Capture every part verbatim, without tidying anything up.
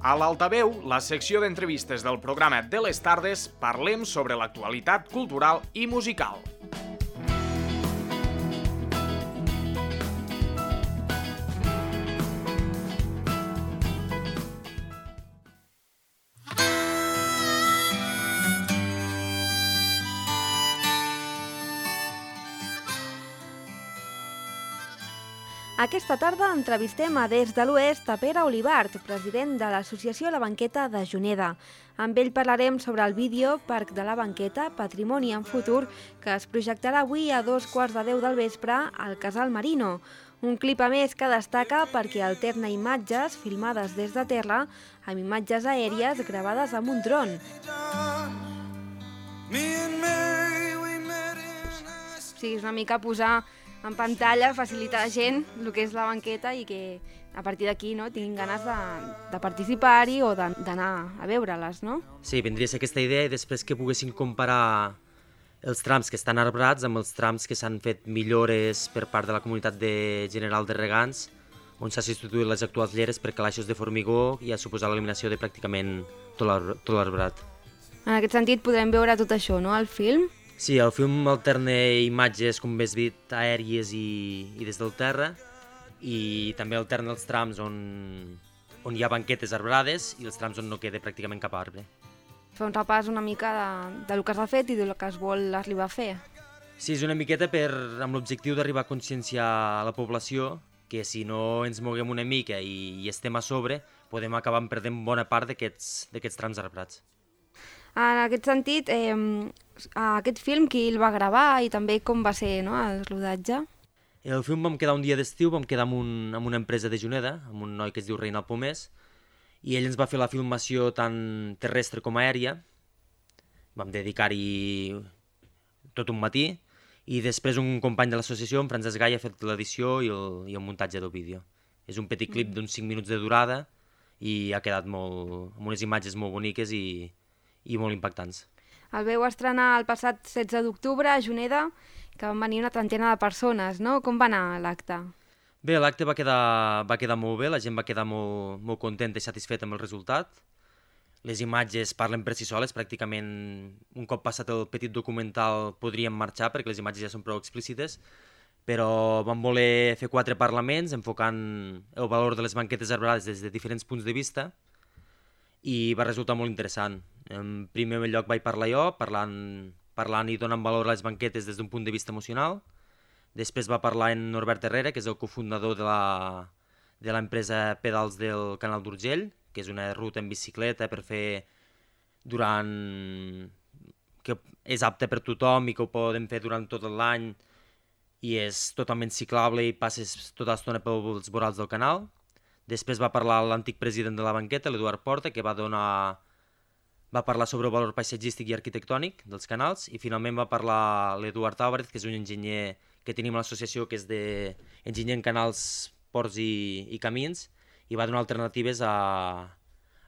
A l'Altaveu, la secció d'entrevistes del programa de les tardes, parlem sobre l'actualitat cultural i musical. Aquesta tarda entrevistem a Des de l'Oest a Pere Olivart, president de l'Associació La Banqueta de Juneda. Amb ell parlarem sobre el vídeo Parc de la Banqueta, Patrimoni en Futur, que es projectarà avui a dos quarts de deu del vespre al Casal Marino. Un clip a més que destaca perquè alterna imatges filmades des de terra amb imatges aèries gravades amb un dron. O sigui, és una mica posar en pantalla, facilitar a la gent el que és la banqueta i que a partir d'aquí no, tinguin ganes de, de participar-hi o d'anar a veure-les, no? Sí, vindria a ser aquesta idea i després que poguessin comparar els trams que estan arbrats amb els trams que s'han fet millores per part de la comunitat de general de regants, on s'ha substituït les actuals lleres per calaixos de formigó i ha suposat l'eliminació de pràcticament tot l'arbrat. En aquest sentit podrem veure tot això, no?, al film? Sí, el film alterna imatges, com bé has dit, aèries i, i des del terra, i també alterna els trams on, on hi ha banquetes arbrades i els trams on no queda pràcticament cap arbre. Fa un repàs una mica de, de lo que s'ha fet i del que es vol arribar a fer. Sí, és una miqueta per, amb l'objectiu d'arribar a conscienciar a la població que si no ens moguem una mica i, i estem a sobre, podem acabar perdent bona part d'aquests trams arbrats. En aquest sentit, eh, aquest film qui el va gravar i també com va ser, no, el rodatge? El film vam quedar un dia d'estiu, vam quedar amb, un, amb una empresa de Juneda, amb un noi que es diu Reinald Pomés, i ell ens va fer la filmació tant terrestre com aèria. Vam dedicar-hi tot un matí, i després un company de l'associació, en Francesc Gai, ha fet l'edició i, el, i el muntatge del vídeo. És un petit clip d'uns cinc minuts de durada i ha quedat molt, amb unes imatges molt boniques i, i molt impactants. El veu estrenar el passat setze d'octubre a Juneda, que van venir una trentena de persones, no? Com va anar l'acte? Bé, l'acte va quedar, va quedar molt bé, la gent va quedar molt, molt contenta i satisfeta amb el resultat. Les imatges parlen per si soles, pràcticament un cop passat el petit documental podríem marxar perquè les imatges ja són prou explícites, però vam voler fer quatre parlaments enfocant el valor de les banquetes arbrades des de diferents punts de vista i va resultar molt interessant. En primer lloc vaig parlar jo, parlant, parlant i donant valor a les banquetes des d'un punt de vista emocional. Després va parlar en Norbert Herrera, que és el cofundador de la, de l'empresa Pedals del Canal d'Urgell, que és una ruta en bicicleta per fer durant... que és apte per tothom i que ho podem fer durant tot l'any i és totalment ciclable i passes tota l'estona pels vorals del canal. Després va parlar l'antic president de la banqueta, l'Eduard Porta, que va donar... va parlar sobre el valor paisatgístic i arquitectònic dels canals, i finalment va parlar l'Eduard Álvarez, que és un enginyer que tenim a l'associació, que és d'enginyer en canals, ports i, i camins, i va donar alternatives a,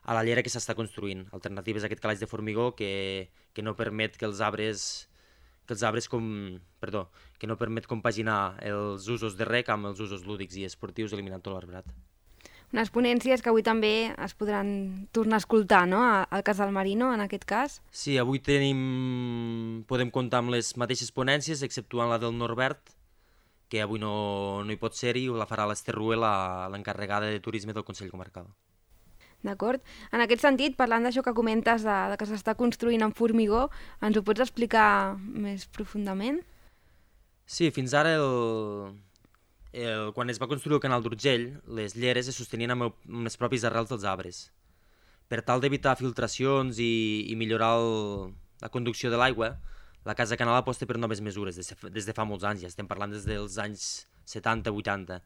a la llera que s'està construint, alternatives a aquest calaix de formigó que, que no permet que els arbres, que els arbres com, perdó, que no permet compaginar els usos de rec amb els usos lúdics i esportius eliminant tot l'arbrat. Unes ponències que avui també es podran tornar a escoltar, no?, al Casal Marino, en aquest cas. Sí, avui tenim... podem comptar amb les mateixes ponències, exceptuant la del Norbert, que avui no, no hi pot ser-hi, la farà l'Ester Ruel, l'encarregada de turisme del Consell Comarcal. D'acord. En aquest sentit, parlant d'això que comentes, de, de que s'està construint en formigó, ens ho pots explicar més profundament? Sí, fins ara el... El, quan es va construir el canal d'Urgell, les lleres es sostenien amb, el, amb les pròpies arrels dels arbres. Per tal d'evitar filtracions i, i millorar el, la conducció de l'aigua, la Casa Canal aposta per noves mesures des de, des de fa molts anys, ja estem parlant des dels anys setanta vuitanta.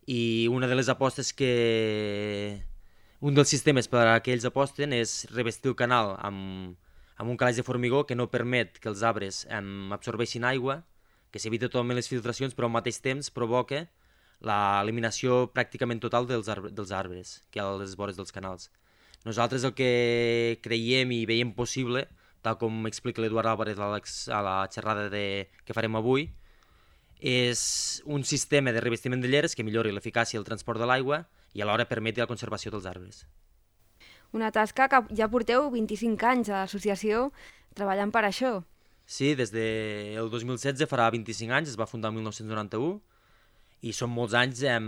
I una de les apostes que... un dels sistemes per a què ells aposten és revestir el canal amb, amb un calaix de formigó que no permet que els arbres em, absorbeixin aigua, que s'evita totalment les filtracions, però al mateix temps provoca l'eliminació pràcticament total dels, arbre, dels arbres que hi ha a les vores dels canals. Nosaltres el que creiem i veiem possible, tal com explica l'Eduard Álvarez a la xerrada de, que farem avui, és un sistema de revestiment de lleres que millori l'eficàcia del transport de l'aigua i alhora permeti la conservació dels arbres. Una tasca que ja porteu vint-i-cinc anys a l'associació treballant per això. Sí, des del dos mil setze farà vint-i-cinc anys, es va fundar el mil nou-cents noranta-u, i són molts anys eh,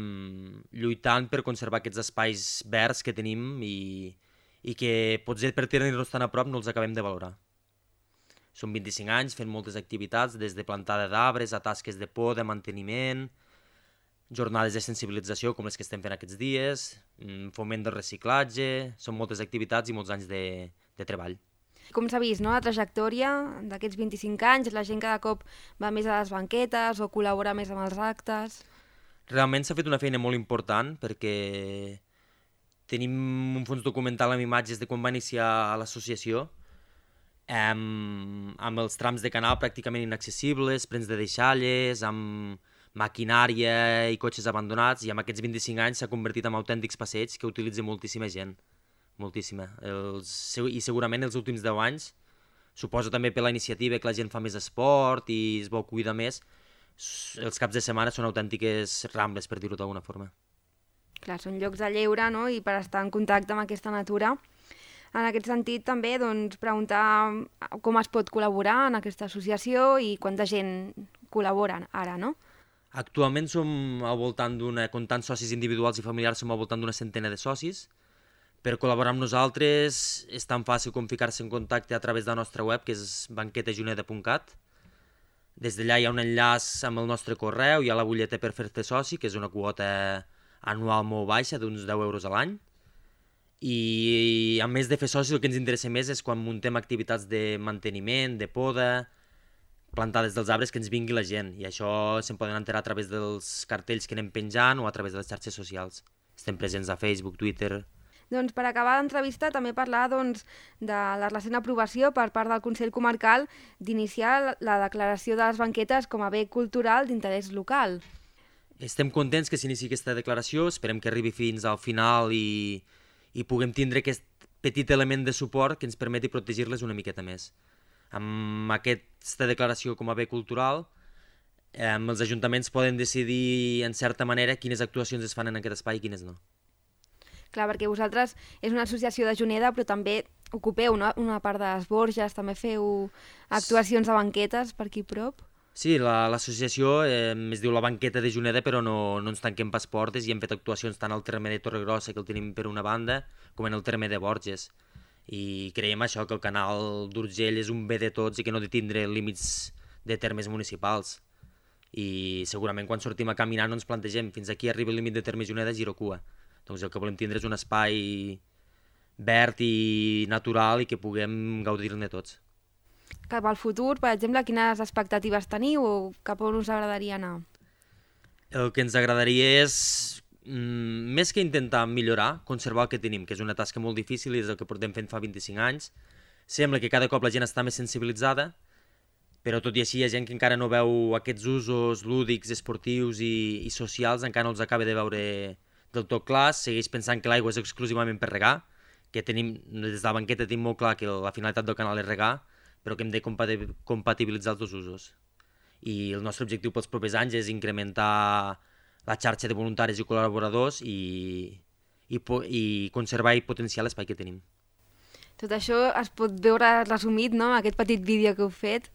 lluitant per conservar aquests espais verds que tenim i, i que potser per tenir-los tan a prop no els acabem de valorar. Són vint-i-cinc anys fent moltes activitats, des de plantada d'arbres a tasques de poda, manteniment, jornades de sensibilització com les que estem fent aquests dies, foment del reciclatge, són moltes activitats i molts anys de, de treball. Com s'ha vist, no? La trajectòria d'aquests vint-i-cinc anys, la gent cada cop va més a les banquetes o col·labora més amb els actes. Realment s'ha fet una feina molt important perquè tenim un fons documental amb imatges de quan va iniciar l'associació, amb, amb els trams de canal pràcticament inaccessibles, plens de deixalles, amb maquinària i cotxes abandonats, i amb aquests vint-i-cinc anys s'ha convertit en autèntics passeigs que utilitza moltíssima gent, moltíssima. Els, I segurament els últims deu anys, suposo també per la iniciativa que la gent fa més esport i es vol cuidar més, els caps de setmana són autèntiques rambles, per dir-ho d'alguna forma. Clar, són llocs de lleure, no?, i per estar en contacte amb aquesta natura. En aquest sentit, també, doncs, preguntar com es pot col·laborar en aquesta associació i quanta gent col·labora ara, no? Actualment som al voltant d'una, comptant socis individuals i familiars, som al voltant d'una centena de socis. Per col·laborar amb nosaltres és tan fàcil com ficar-se en contacte a través de la nostra web, que és banqueta juneda punt cat. Des d'allà hi ha un enllaç amb el nostre correu, hi ha la butlleta per fer-te soci, que és una quota anual molt baixa, d'uns deu euros a l'any. I a més de fer socis, el que ens interessa més és quan muntem activitats de manteniment, de poda, plantades dels arbres, que ens vingui la gent. I això se'n poden enterar a través dels cartells que anem penjant o a través de les xarxes socials. Estem presents a Facebook, Twitter. Doncs per acabar l'entrevista també parlar doncs, de la recent aprovació per part del Consell Comarcal d'iniciar la declaració de les banquetes com a bé cultural d'interès local. Estem contents que s'inici aquesta declaració, esperem que arribi fins al final i, i puguem tindre aquest petit element de suport que ens permeti protegir-les una miqueta més. Amb aquesta declaració com a bé cultural, eh, els ajuntaments poden decidir en certa manera quines actuacions es fan en aquest espai i quines no. Clar, perquè vosaltres és una associació de Juneda, però també ocupeu no? una part de les Borges, també feu actuacions de banquetes per aquí prop. Sí, l'associació la, eh, es diu la Banqueta de Juneda, però no, no ens tanquem pas portes i hem fet actuacions tant al terme de Torregrossa, que el tenim per una banda, com en el terme de Borges. I creiem això, que el canal d'Urgell és un bé de tots i que no ha de tindre límits de termes municipals. I segurament quan sortim a caminar no ens plantegem fins aquí arriba el límit de terme Juneda, giro cua. Doncs el que volem tindre és un espai verd i natural i que puguem gaudir-ne tots. Cap al futur, per exemple, quines expectatives teniu o cap on us agradaria anar? El que ens agradaria és, mm, més que intentar millorar, conservar el que tenim, que és una tasca molt difícil i és el que portem fent fa vint-i-cinc anys. Sembla que cada cop la gent està més sensibilitzada, però tot i així hi ha gent que encara no veu aquests usos lúdics, esportius i, i socials, encara no els acaba de veure del tot clar, segueix pensant que l'aigua és exclusivament per regar, que tenim, des de la banqueta tenim molt clar que la finalitat del canal és regar, però que hem de compatibilitzar els dos usos. I el nostre objectiu pels propers anys és incrementar la xarxa de voluntaris i col·laboradors i, i, i conservar i potenciar l'espai que tenim. Tot això es pot veure resumit, no?, en aquest petit vídeo que heu fet,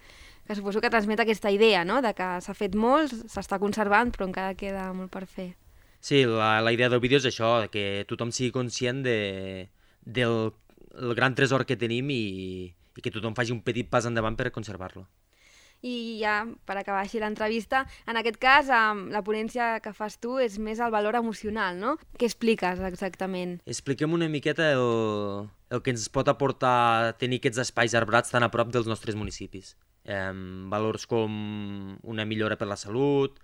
que suposo que transmet aquesta idea, no?, de que s'ha fet molt, s'està conservant, però encara queda molt per fer. Sí, la, la idea del vídeo és això, que tothom sigui conscient de, del el gran tresor que tenim i, i que tothom faci un petit pas endavant per conservar-lo. I ja, per acabar així l'entrevista, en aquest cas, la ponència que fas tu és més el valor emocional, no? Què expliques exactament? Expliquem una miqueta el, el que ens pot aportar tenir aquests espais arbrats tan a prop dels nostres municipis. Eh, valors com una millora per la salut,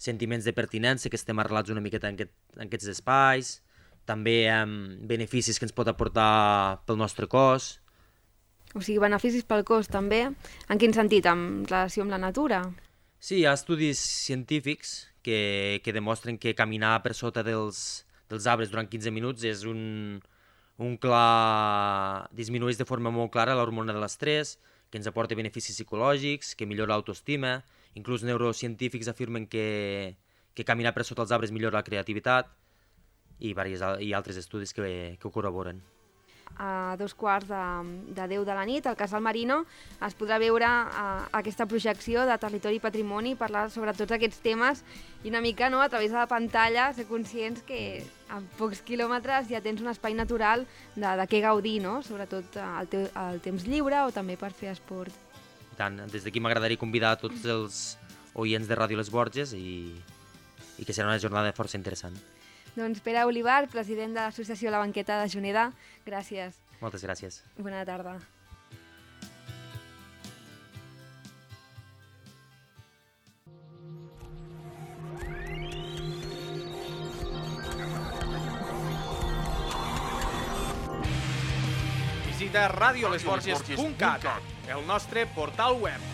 sentiments de pertinença, que estem arrelats una miqueta en, aquest, en aquests espais, també eh, beneficis que ens pot aportar pel nostre cos. O sigui, beneficis pel cos també. En quin sentit? En relació amb la natura? Sí, hi ha estudis científics que, que demostren que caminar per sota dels, dels arbres durant quinze minuts és un, un clar... disminueix de forma molt clara l'hormona de l'estrès, que ens aporta beneficis psicològics, que millora l'autoestima. Inclús neurocientífics afirmen que, que caminar per sota els arbres millora la creativitat i, diversos, i altres estudis que, que ho corroboren. a dos quarts de, de deu de la nit, al Casal Marino, es podrà veure uh, aquesta projecció de Territori i Patrimoni, parlar sobre tots aquests temes i una mica, no, a través de la pantalla ser conscients que en pocs quilòmetres ja tens un espai natural de, de què gaudir, no? Sobretot al, teu, al temps lliure o també per fer esport. I tant, des d'aquí m'agradaria convidar a tots els oients de Ràdio Les Borges i, i que serà una jornada força interessant. Doncs Pere Olivar, president de l'Associació La Banqueta de Juneda, gràcies. Moltes gràcies. Bona tarda. Visita radio les borges punt cat, el nostre portal web.